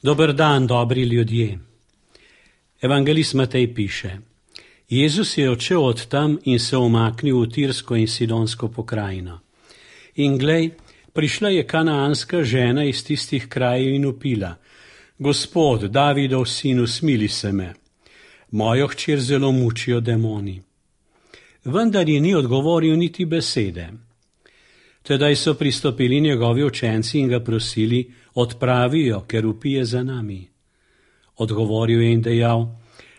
Dober dan, dobri ljudje. Evangelist Matej piše: Jezus je odšel od tam in se umaknil v Tirsko in Sidonsko pokrajino. In glej, prišla je kanaanska žena iz tistih krajev in vpila: Gospod, Davidov sin, usmili se me. Mojo hčer zelo mučijo demoni. Vendar ji ni odgovoril niti besede. Tedaj so pristopili njegovi učenci in ga prosili: Odpravijo, ker vpije za nami. Odgovoril je in dejal: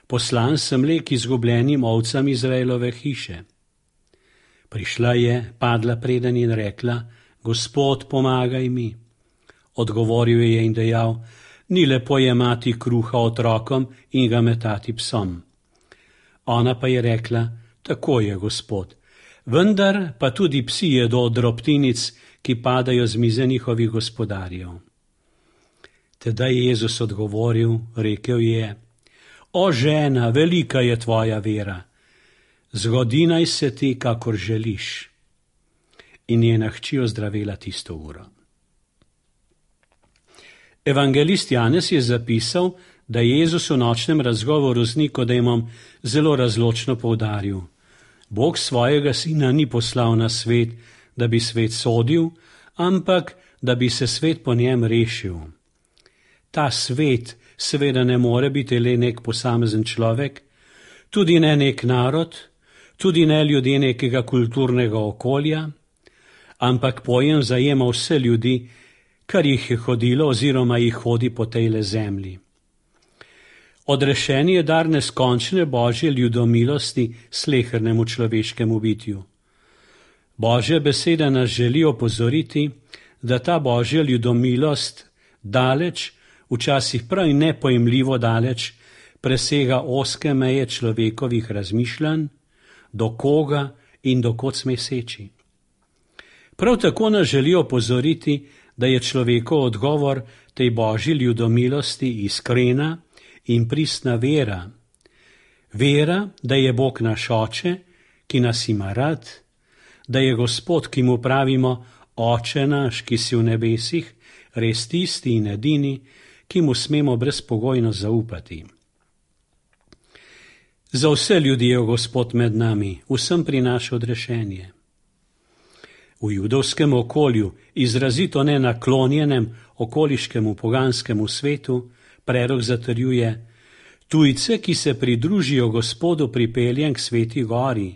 Poslan sem le k izgubljenim ovcam Izraelove hiše. Prišla je, padla preden in rekla: Gospod, pomagaj mi. Odgovoril je in dejal: Ni lepo jemati kruha otrokom in ga metati psom. Ona pa je rekla: Tako je, Gospod, vendar pa tudi psi jedo od drobtinic, ki padajo z mize njihovih gospodarjev. Tedaj je Jezus odgovoril, rekel je: O žena, velika je tvoja vera, zgodi naj se ti, kakor želiš. In njena hči ozdravela tisto uro. Evangelist Janez je zapisal, da je Jezus v nočnem razgovoru z Nikodemom zelo razločno poudaril: Bog svojega sina ni poslal na svet, da bi svet sodil, ampak da bi se svet po njem rešil. Ta svet seveda ne more biti le nek posamezen človek, tudi ne nek narod, tudi ne ljudje nekega kulturnega okolja, ampak pojem zajema vse ljudi, kar jih je hodilo oziroma jih hodi po tejle zemlji. Odrešen je dar neskončne Božje ljudomilosti slehernemu človeškemu bitju. Božja beseda nas želi opozoriti, da ta Božja ljudomilost daleč, včasih prav nepojemljivo daleč, presega ozke meje človekovih razmišljanj, do koga in do kod sme seči. Prav tako nas želi opozoriti, da je človekov odgovor tej Božji ljudomilosti iskrena in pristna vera. Vera, da je Bog naš Oče, ki nas ima rad, da je Gospod, ki mu pravimo Oče naš, ki si v nebesih, res tisti in edini, ki mu smemo brezpogojno zaupati. Za vse ljudi je Gospod med nami, vsem prinaša odrešenje. V judovskem okolju, izrazito nenaklonjenem okoliškemu poganskemu svetu, prerok zatrjuje: Tujce, ki se pridružijo Gospodu, pripeljem k Sveti gori.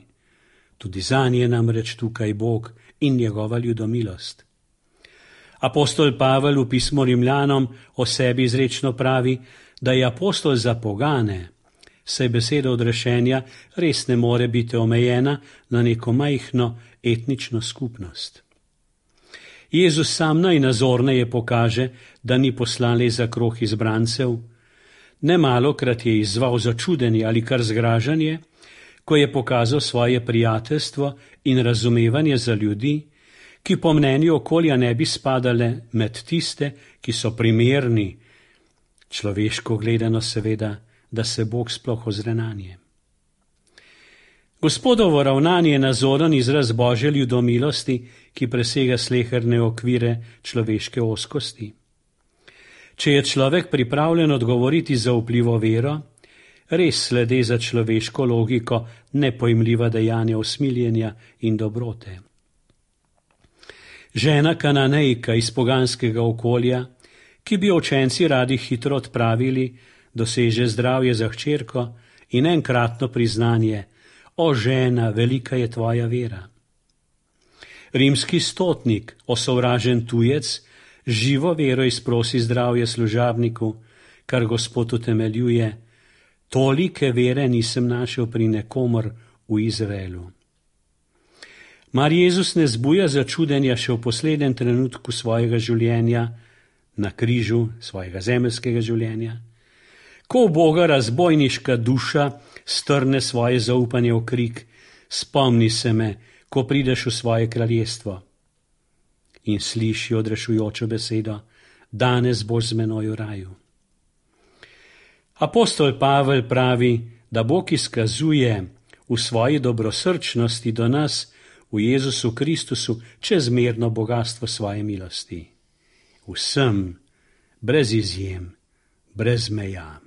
Tudi zanje namreč tukaj Bog in njegova ljudomilost. Apostol Pavel v pismu Rimljanom o sebi izrečno pravi, da je apostol za pogane, saj beseda odrešenja res ne more biti omejena na neko majhno etnično skupnost. Jezus sam najnazorneje pokaže, da ni poslan le za krog izbrancev. Nemalokrat je izzval začudenje ali kar zgražanje, ko je pokazal svoje prijateljstvo in razumevanje za ljudi, ki po mnenju okolja ne bi spadale med tiste, ki so primerni, človeško gledano seveda, da se Bog sploh ozre nanje. Gospodovo ravnanje je nazoren izraz Božje ljudomilosti, ki presega sleherne okvire človeške ozkosti. Če je človek pripravljen odgovoriti za vplivo vero, res slede za človeško logiko nepojmljiva dejanja usmiljenja in dobrote. Žena Kananejka iz poganskega okolja, ki bi učenci radi hitro odpravili, doseže zdravje za hčerko in enkratno priznanje: O žena, velika je tvoja vera. Rimski stotnik, osovražen tujec, živo vero izprosi zdravje služabniku, kar Gospod utemeljuje: Tolike vere nisem našel pri nekomor v Izraelu. Mar Jezus ne zbuja začudenja še v poslednjem trenutku svojega življenja, na križu svojega zemeljskega življenja? Ko v Boga razbojniška duša strne svoje zaupanje v krik: Spomni se me, ko prideš v svoje kraljestvo. In sliši odrešujočo besedo: Danes boš z menoj v raju. Apostol Pavel pravi, da Bog izkazuje v svoji dobrosrčnosti do nas v Jezusu Kristusu čezmerno bogastvo svoje milosti. Vsem, brez izjem, brez meja.